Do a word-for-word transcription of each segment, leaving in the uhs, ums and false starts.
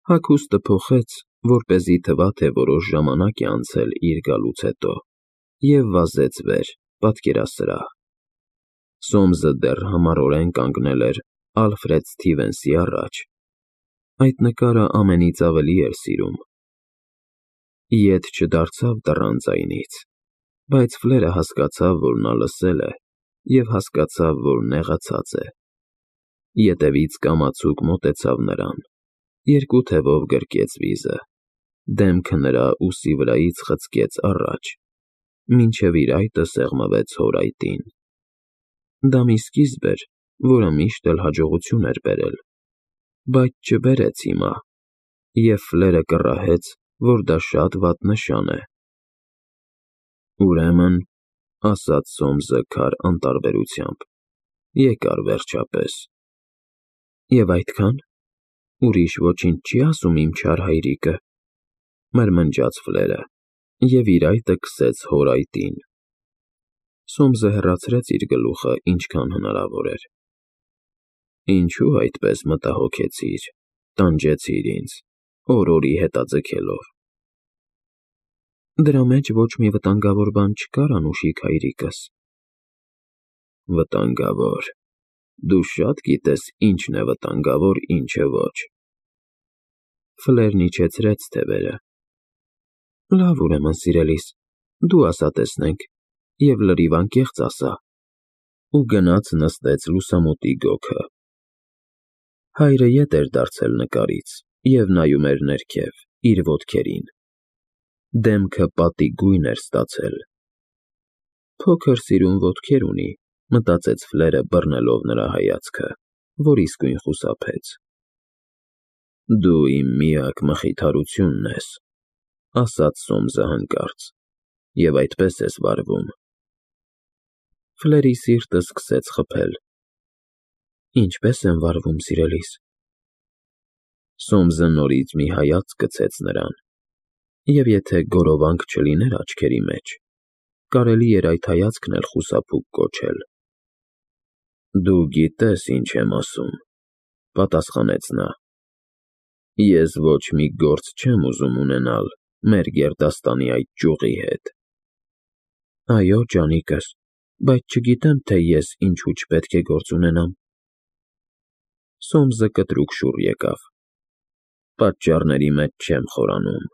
Հագուստը փոխեց, որպեսզի թվա, թե որոշ ժամանակ է անցել իր գալուց հետո, և վազեց վեր, պատկերասրահ։ Սոմսը դեռ համառորեն կանգնել էր Ալֆրեդ Սթիվենսի առաջ։ Այդ նկարը ամենից ավելի էր սիրում։ Ետ չդարձավ դռան ձայնից, բայց Ֆլերը հասկացավ, որ նա լսել է, և հասկացավ, որ նեղացած է։ Ետևից կամացուկ մոտեցավ նրան, երկու թևով գրկեց վիզը, դեմքը նրա ուսի վրայից խցկեց առաջ, մինչև իր այտը սեղմվեց հոր այտին։ Դա մի սկիզբ էր, որը միշտ էլ հաջողություն էր բերել, բայց չբերեց հիմա, և Ֆլերը կռահեց, որ դա շատ վատ նշան է։ «Ուրեմն,֊ ասաց Սոմսը քար անտարբերությամբ,֊ եկար վերջապես»։ «Եվ այդքա՞ն, ուրիշ ոչինչ չի ասում իմ չար հայրիկը,֊ մրմնջաց Ֆլերը և իր այտը քսեց հոր այտին։ Սոմսը հեռացրեց իր գլուխը ինչքան հնարավոր էր։ «Ինչո՞ւ այդպես մտահոգեցիր, տանջեցիր ինձ, օր֊օրի հետաձգելով»։ «Դրա մեջ ոչ մի վտանգավոր բան չկար, անուշիկ հայրիկս»։ «Վտանգավոր… Դու շատ գիտես ինչն է վտանգավոր, ինչը ոչ»։ Ֆլերն իջեցրեց թևերը։ «Լավ, ուրեմն, սիրելիս, դու ասա, տեսնենք, և լրիվ անկեղծ ասա», ու գնաց նստեց լուսամուտի գոգը։ Հայրը ետ էր դարձել նկարից և նայում էր ներքև, իր ոտքերին։ Դեմքը պատի գույն էր ստացել։ «Փոքր սիրուն ոտքեր ունի», մտածեց Ֆլերը բռնելով նրա հայացքը, որ իսկույն խուսափեց։ «Դու իմ միակ մխիթարությունն ես,֊ ասաց Սոմսը հանկարծ,֊ և այդպես ես վարվում»։ Ֆլերի սիրտը սկսեց խփել։ «Ինչպե՞ս եմ վարվում, սիրելիս»։ Սոմսը նորից մի հայացք գցեց նրան, և եթե գորովանք չլիներ աչքերի մեջ, կարելի էր այդ հայացքն էլ խուսափուկ կոչել։ «Դու գիտես, ինչ եմ ասում,֊ պատասխանեց նա,֊ ես ոչ մի գործ չեմ ուզում ունենալ մեր գերդաստանի այդ ճյուղի հետ»։ «Այո, ջանիկս, բայց չգիտեմ, թե ես ինչու չպետք է գործ ունենամ»։ Սոմսը կտրուկ շուռ եկավ։ «Պատճառների մեջ չեմ խորանում,֊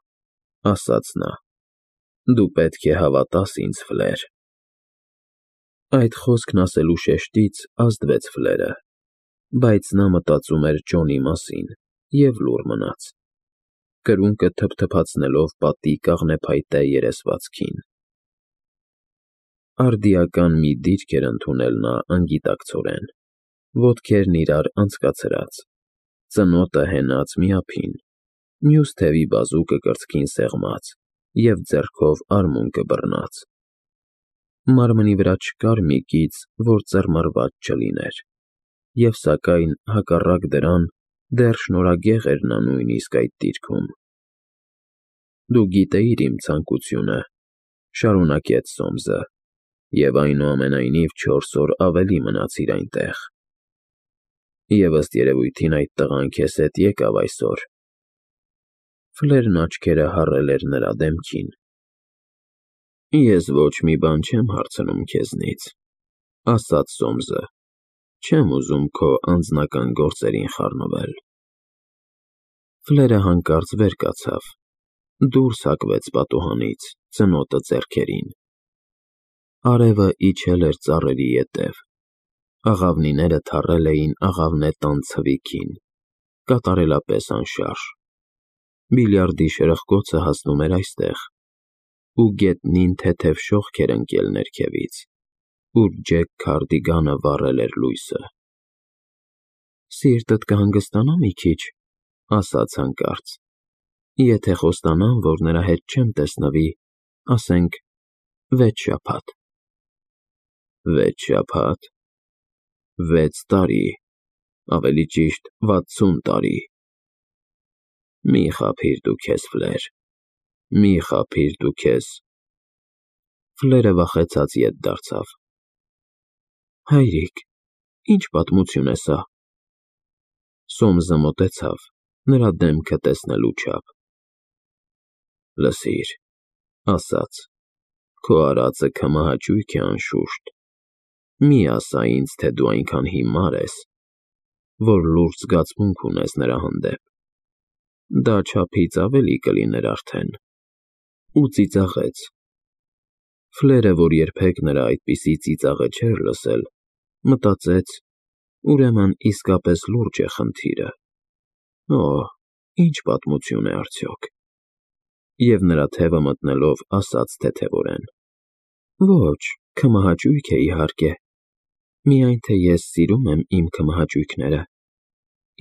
ասաց նա,֊ դու պետք է հավատաս ինձ, Ֆլեր»։ Այդ խոսքն ասելու շեշտից ազդվեց Ֆլերը, բայց նա մտածում էր Ջոնի մասին և լուռ մնաց, կրունկը թփթփացնելով պատի կաղնեփայտե երեսվածքին։ Արդիական մի դիրք էր ընդունել նա անգիտակցորեն, ոտքերն իրար անցկացրած, ծնոտը հենած միափին, մյուս թևի բազուկը կրծքին սեղմած և ձեռքով արմունկը բռնած։ Մարմնի վրա չկար մի կից, որ ծռմռված չլիներ, և սակայն, հակառակ դրան, դեռ շնորհագեղ էր նա նույնիսկ այդ դիրքում։ «Դու գիտեիր իմ ցանկությունը,֊ շարունակեց Սոմսը,֊ և այնուամենայնիվ չորս օր ավելի մնացիր այնտեղ։ Եվ ըստ երևույթին այդ տղան քեզ հետ եկավ այսօր»։ Ֆլերն աչքերը հառել էր նրա դեմքին։ «Ես ոչ մի բան չեմ հարցնում քեզնից,֊ ասաց Սոմսը,֊ չեմ ուզում քո անձնական գործերին խառնվել»։ Ֆլերը հանկարծ վեր կացավ, դուրս հակվեց պատուհանից, ծնոտը ձեռքերին։ Արևը իջել էր ծառերի ետև, աղավնիները թառել էին աղավնե տան ցվիքին, կատարելապես անշարժ։ Բիլիարդի շրխկոցը հասնում էր այստեղ, ու գետնին թեթև շողք էր ընկել ներքևից, ուր Ջեք Քարդիգանը վառել էր լույսը։ «Սիրտդ կհանգստանա մի քիչ,֊ ասաց հանկարծ,֊ եթե խոստանամ, որ նրա հետ չեմ տեսնվի, ասենք, վեց շաբաթ»։ «Վեց շաբաթ… Վեց տարի, ավելի ճիշտ վաթսուն տարի… Մի խաբիր դու քեզ, Ֆլեր, մի խաբիր դու քեզ…»։ Ֆլերը վախեցած ետ դարձավ։ «Հայրիկ, ի՞նչ պատմություն է սա»։ Սոմսը մոտեցավ, նրա դեմքը տեսնելու չափ։ Լսիր, ասաց, քո արածը քմահաճույք է անշուշտ։ Մի ասա ինձ, թե դու այնքան հիմար ես, որ լուրջ զգացմունք ունես նրա հանդեպ։ Դա չափից ավելի կլիներ արդեն։ Ու ծիծաղեց։ Ֆլերը, որ երբեք նրա այդպիսի ծիծաղը չէր լսել, մտածեց, ուրեմն իսկապես լուրջ է խնդիրը։ Օհ, ինչ պատմություն է արդյոք։ Եվ նրա թևը մտնելով ասաց թեթևորեն. Ոչ, քմահաճույք է իհարկե, միայն թե ես սիրում եմ իմ քմահաճույքները,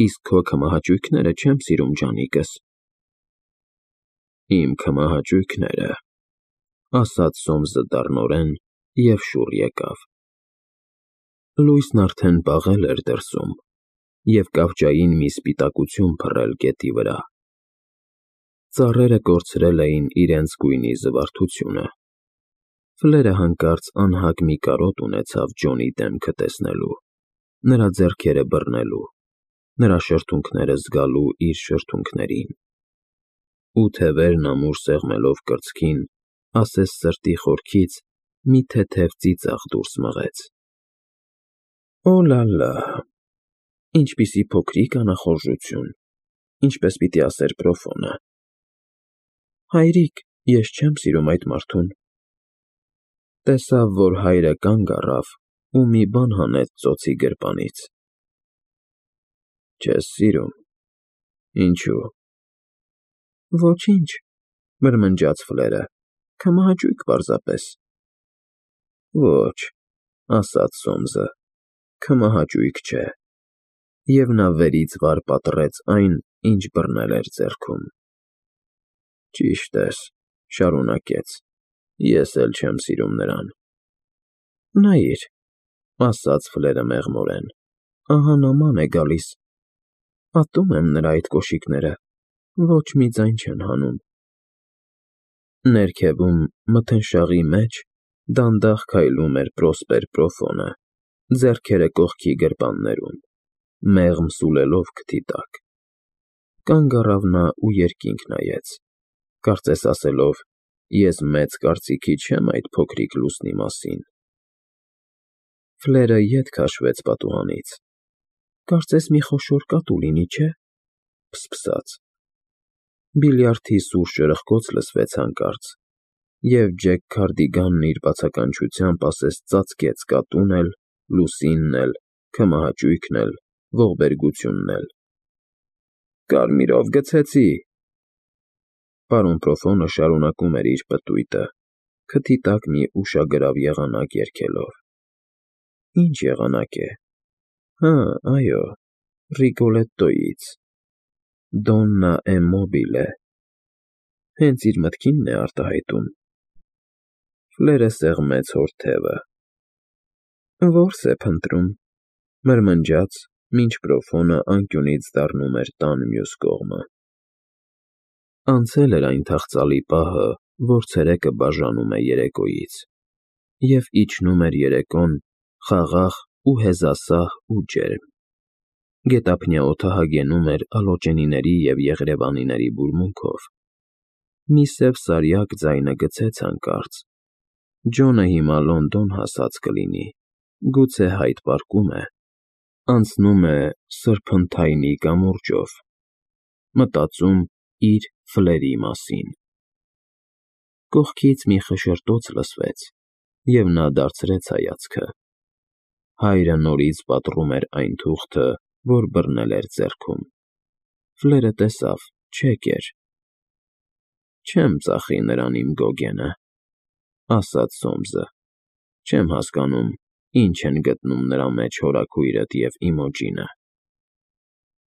իսկ քո քմահաճույքները չեմ սիրում, ջանիկս։ Իմ քմահաճույքները, ասաց Սոմսը դառնորեն և շուռ եկավ։ Լույսն արդեն պաղել էր դրսում և կավճային մի սպիտակություն փռել գետի վրա։ Ծառերը կորցրել էին իրենց գույնի զվարթությունը։ Ֆլերը հանկարծ անհագ մի կարոտ ունեցավ Ջոնի դեմքը տեսնելու, նրա ձեռքերը բռնելու, նրա շրթունքները զգալու իր շրթունքներին։ Ու թևերն ամուր սեղմելով կրծքին, ասես սրտի խորքից մի թեթև ծիծաղ դուրս մղեց։ Օ՛լա՛լա, ինչպիսի փոքրիկ անախորժություն, ինչպես պիտի ասեր Պրոֆոնը։ Հայրիկ, ես չեմ սիրում այդ մարդուն։ Տեսավ, որ հայրը կանգ առավ ու մի բան հանեց ծոցի գրպանից։ Չես սիրում։ Ինչու՞։ Ոչինչ, մրմնջաց Ֆլերը, քմահաճույք պարզապես։ Ոչ, ասաց Սոմսը, քմահաճույք չէ։ Եվ նա վերից վար պատռեց այն, ինչ բռնել էր ձեռքում։ Ճիշտ ես, շարունակեց, ես էլ չեմ սիրում նրան։ Նայիր, ասաց Ֆլերը մեղմորեն, ահա նման է գալիս։ Ատում եմ նրա այդ կոշիկները, ոչ մի ձայն չեն հանում։ Ներքևում, մթնշաղի մեջ, դանդաղ քայլում էր Պրոսպեր Պրոֆոնը, ձեռքերը կողքի գրպաններում, մեղմ սուլելով քթի տակ։ Կանգ առավ նա ու երկինք նայեց, կարծես ասելով. ես մեծ կարծիքի չեմ այդ փոքրիկ լուսնի մասին։ Ֆլերը ետ քաշվեց պատուհանից։ Կարծես մի խոշոր կատու լինի, չէ՞, փսփսաց։ Բիլիարդի սուր շրխկոց լսվեց հանկարծ, և Ջեք Քարդիգանն իր բացականչությամբ ասես ծածկեց կատուն էլ, լուսինն էլ, քմահաճույքն էլ, ողբերգությունն էլ։ Կարմիրով գցեցի։ Պարոն Պրոֆոնը շարունակում էր իր պտույտը, քթի տակ մի ուշագրավ եղանակ երգելով։ Ինչ եղանակ է։ Հա, այո, Ռիգոլետտոյից։ Դոննա է մոբիլե։ Հենց իր մտքինն է արտահայտում։ Ֆլերը սեղմեց հոր թևը։ Որս է փնտրում, մրմնջաց, մինչ Պրոֆոնը անկյունից դառնում էր տան մյուս կողմը։ Անցել էր այն թախծալի պահը, որ ցերեկը բաժանում է երեկոյից, և իջնում էր երեկոն, խաղաղ ու հեզասահ ու ջերմ։ Գետափնյա օդը հագենում էր ալոճենիների և եղրևանիների բուրմունքով։ Մի սև սարյակ ձայնը գցեց հանկարծ. Ջոնը հիմա Լոնդոն հասած կլինի, գուցե Հայդ պարկում է, անցնում է սրբընթայնի կամուրջով, մտածում իր Ֆլերի մասին։ Կողքից մի խշշոտոց լսվեց, և նա դարձրեց հայացքը։ Հայրը նորից պատռում էր այն թուղթը, որ բռնել էր ձեռքում։ Ֆլերը տեսավ, չեկ էր։ Չեմ ծախի նրան իմ Գոգենը, ասաց Սոմսը, չեմ հասկանում, ինչ են գտնում նրա մեջ հորաքույրդ և Իմոջինը։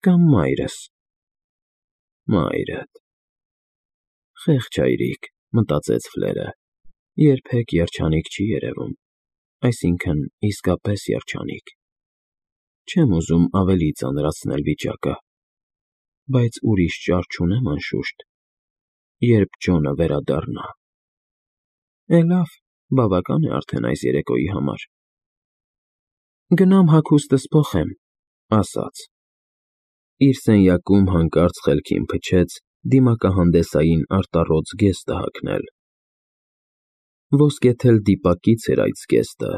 Կամ մայրս։ Մայրդ։ Խեղճ հայրիկ, մտածեց Ֆլերը, երբեք երջանիկ չի երևում, այսինքն իսկապես երջանիկ։ Չեմ ուզում ավելի ծանրացնել վիճակը, բայց ուրիշ ճար չունեմ անշուշտ, երբ Ջոնը վերադառնա։ Է լավ, բավական է արդեն այս երեկոյի համար։ Գնամ հագուստս փոխեմ, ասաց։ Իր սենյակում հանկարծ խելքին փչեց դիմակահանդեսային արտառոց զգեստը հագնել։ Ոսկեթել դիպակից էր այդ զգեստը,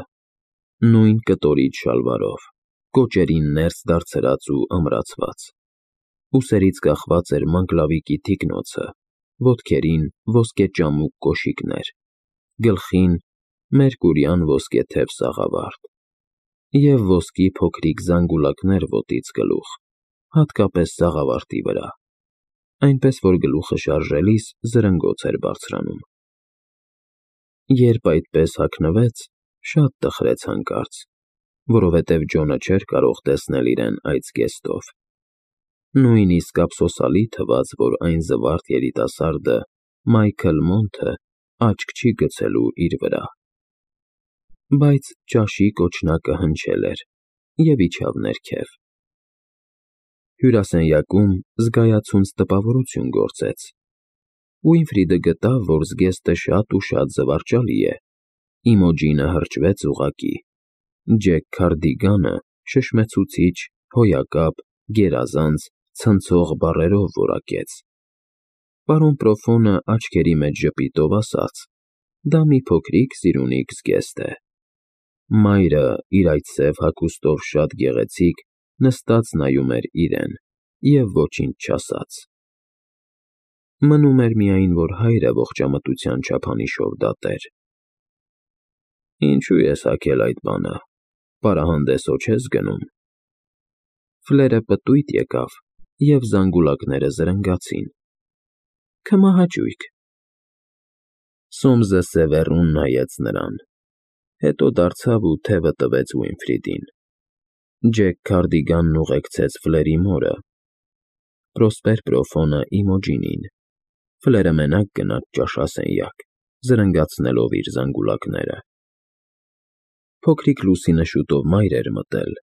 նույն կտորիչ շալվարով, կոճերին ներս դարձրած ու ամրացված։ Ուսերից կախված էր մանգլավիկի թիկնոցը, ոտքերին ոսկեճամուկ կոշիկներ, գլխին մերկուրյան ոսկեթև սաղավարտ և ոսկի փոքրիկ զանգուլակներ ոտից գլուխ, հատկապես սաղավարտի վրա, այնպես որ գլուխը շարժելիս զրնգոց էր բարձրանում։ Երբ այդպես հագնվեց, շատ տխրեց հանկարծ, որովհետև Ջոնը չէր կարող տեսնել իրեն այդ զգեստով։ Նույնիսկ ափսոսալի թվաց, որ այն զվարթ երիտասարդը Մայքլ Մոնթը աչք չի գցելու իր վրա։ Բայց ճաշի կոչնակը հնչել էր և իջավ ներքև։ Հյուրասենյակում զգայացունց տպավորություն գործեց։ Ուինֆրիդը գտավ, որ զգեստը շատ ու շատ զվարճալի է։ Իմոջինը հրճվեց ուղղակի։ Ջեք Քարդիգանը շշմեցուցիչ, հոյակապ, գերազանց, ցնցող բառերով որակեց։ Պարոն Պրոֆոնը աչքերի մեջ ժպիտով ասաց. «Դա մի փոքրիկ սիրունիկ զգեստ է»։ Մայրը, իր այդ սև հագուստով շատ գեղեցիկ, նստած նայում էր իրեն և ոչինչ չասաց։ Մնում էր միայն, որ հայրը ողջամտության չափանիշով դատեր։ «Ինչու ես հագել այդ բանը, պարահանդես հո չես գնում»։ Ֆլերը պտույտ եկավ, և զանգուլակները զրնգացին։ «Քմահաճույք»։ Սոմսը սևեռուն նայեց նրան, հետո դարձավ ու թևը տվեց Ուինֆրիդին։ Ջեք Քարդիգանն ուղեկցեց Ֆլերի մորը, Պրոսպեր Պրոֆոնը Իմոջինին։ Ֆլերը մենակ գնաց ճաշասենյակ, զրնգացնելով իր զանգուլակները։ Փոքրիկ Լուսինը շուտով մայր էր մտել,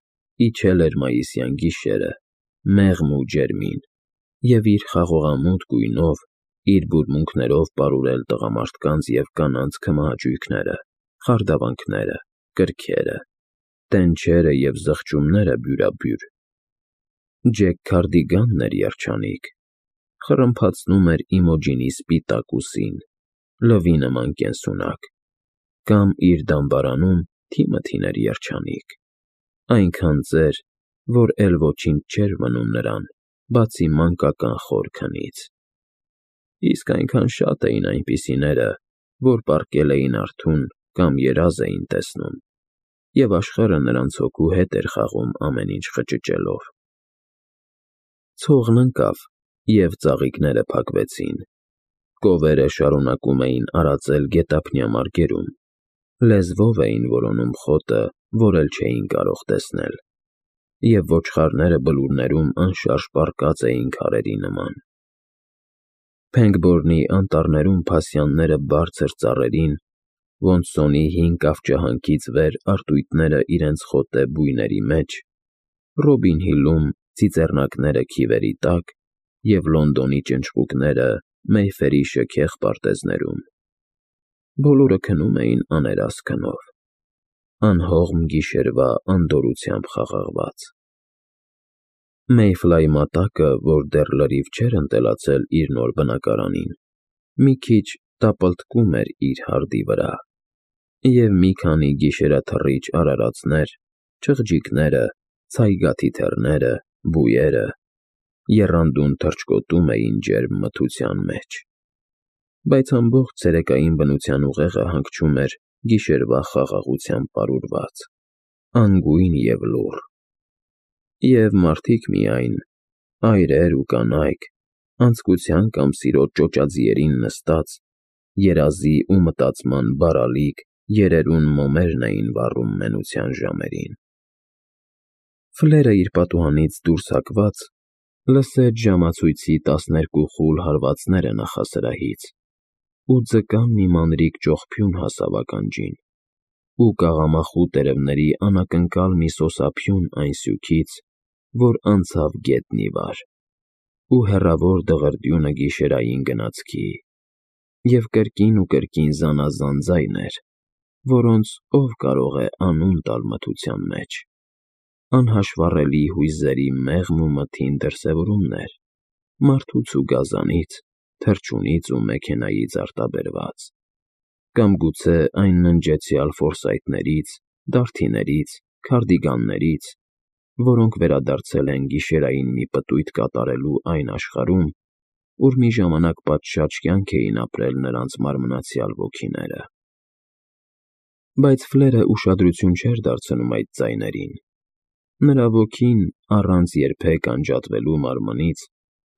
իջել էր մայիսյան գիշերը, մեղմ ու ջերմին, և իր խաղողամութ գույնով, իր բուրմունքներով պարուրել տղամարդկանց և կանանց քմահաճույքները, խարդավանքները, կրքերը, տենչերը և զղջումները բյուրաբյուր։ Ջեք Քարդիգանն էր երջանիկ, խռմփացնում էր Իմոջինի սպիտակ ուսին, լվի նման կենսունակ, կամ իր դամբարանում Թիմոթին էր երջանիկ, այնքան ծեր, որ էլ ոչինչ չէր մնում նրան, բացի մանկական խոր քնից։ Իսկ այնքան շատ էին այնպիսիները, որ պառկել էին արթուն կամ երազ էին տեսնում, և աշխարհը նրանց հոգու հետ էր խաղում ամեն ինչ խճճելով։ Ցողն ընկավ, և ծաղիկները փակվեցին։ Կովերը շարունակում էին արածել գետափնյա մարգերում, լեզվով էին որոնում խոտը, որ էլ չէին կարող տեսնել, և ոչխարները բլուրներում անշարժ պառկած էին քարերի նման։ Փենգբորնի անտառներում փասյանները բարձր ծառերին, ոնց սոնի հին կավճահանքից վեր արտույտները իրենց խոտե բույների մեջ, Ռոբին Հիլում ծիծեռնակները քիվերի տակ և Լոնդոնի ճնճղուկները Մեյֆերի շքեղ պարտեզներում։ Բոլորը քնում էին աներաս քնով, անհողմ գիշերվա անդորրությամբ խաղաղված։ Մեյֆլայի մատակը, որ դեռ լրիվ չէր ընտելացել իր նոր բնակարանին, մի քիչ տապալտկում էր իր հարդի վրա, և մի քանի գիշերաթռիչ արարածներ, չղջիկները, ցայգաթիթեռները, բույերը եռանդուն թռչկոտում էին ջերմ մթության մեջ։ Բայց ամբողջ ցերեկային բնության ուղեղը հանգչում էր գիշերվա խաղաղությամբ պարուրված, անգույն և լուռ։ Եվ մարդիկ միայն, այրեր ու կանայք, անձկության կամ սիրո ճոճաձիերին նստած, երազի ու մտածման բարալիկ, երերուն մոմերն էին վառում մենության ժամերին։ Ֆլերը իր պատուհանից դուրս հակված լսեց ժամացույցի տասներկու խուլ հարվածները նախասրահից, ու ձկան մի մանրիկ ճողփյուն հասավ ականջին, ու կաղամախու տերևների անակնկալ մի սոսափյուն այն սյուքից, որ անցավ գետնի վար, ու հեռավոր դղրդյունը գիշերային գնացքի, և կրկին ու կրկին զանազան ձայներ, որոնց ով կարող է անուն տալ մթության մեջ։ անհաշվառելի հույզերի մեղմ ու մթին դրսևորումներ, մարդուց ու գազանից, թռչունից ու մեքենայից արտաբերված, կամ գուցե այն ննջեցյալ ֆորսայթներից, դարդիներից, քարդիգաններից, որոնք վերադարձել են գիշերային մի պտույտ կատարելու այն աշխարհում, ուր մի ժամանակ պատշաճ կյանք էին ապրել նրանց մարմնացյալ ոգիները։ Բայց Ֆլերը ուշադրություն չէր դարձնում այդ ձայներին։ Նրա ոգին, առանց երբեք անջատվելու մարմնից,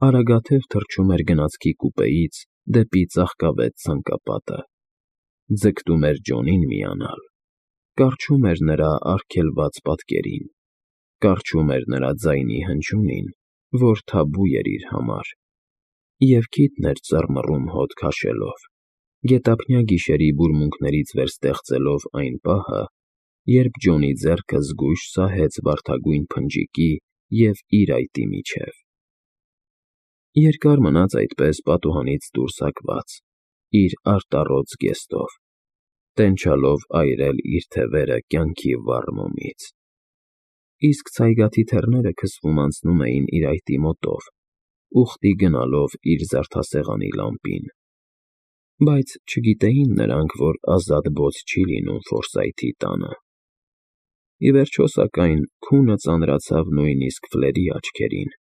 արագաթև թռչում էր գնացքի կուպեից դեպի ծաղկավետ ցանկապատը, ձգտում էր Ջոնին միանալ, կառչում էր նրա արգելված պատկերին, կառչում էր նրա ձայնի հնչյունին, որ թաբու էր իր համար, և քիթն էր ծռմռում հոտ քաշելով, գետափնյա գիշերի բուրմունքներից վերստեղծելով այն պահը, երբ Ջոնի ձեռքը զգույշ սահեց վարդագույն փնջիկի և իր այտի միջև։ Երկար մնաց այդպես պատուհանից դուրս հակված, իր արտառոց զգեստով, տենչալով այրել իր թևերը կյանքի վառ մոմից։ Իսկ ցայգաթի թեռները քսվում անցնում էին իր այտի մոտով, ուխտի գնալով իր զարդասեղանի լամպին։ Բայց չգիտեին նրանք, որ ազատ բոց չի լինում Ֆորսայթի տանը։ Ի վերջո, սակայն, քունը ծանրացավ նույնիսկ Ֆլերի աչքերին,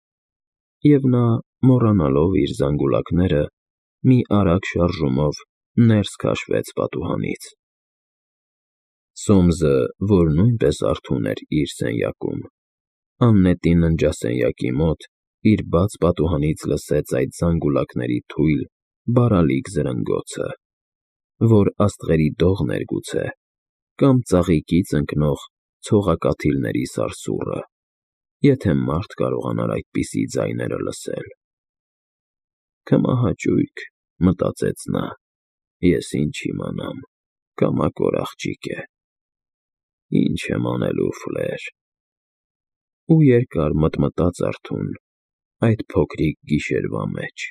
և նա, մոռանալով իր զանգուլակները, մի արագ շարժումով ներս քաշվեց պատուհանից։ Սոմսը, որ նույնպես արթուն էր իր սենյակում, աննետի ննջասենյակի մոտ իր բաց պատուհանից լսեց այդ զանգուլակների թույլ, բարալիկ զրնգոցը, որ աստղերի դողն էր գուցե, կամ ծաղիկից ընկնող ցողակաթիլների սարսուռը, եթե մարդ կարողանար այդպիսի ձայներ լսել։ «Քմահաճույք», մտածեց նա, «ես ինչ իմանամ, կամակոր աղջիկ է։ Ինչ եմ անելու, Ֆլեր»։ Ու երկար մտմտաց արթուն այդ փոքրիկ գիշերվա մեջ։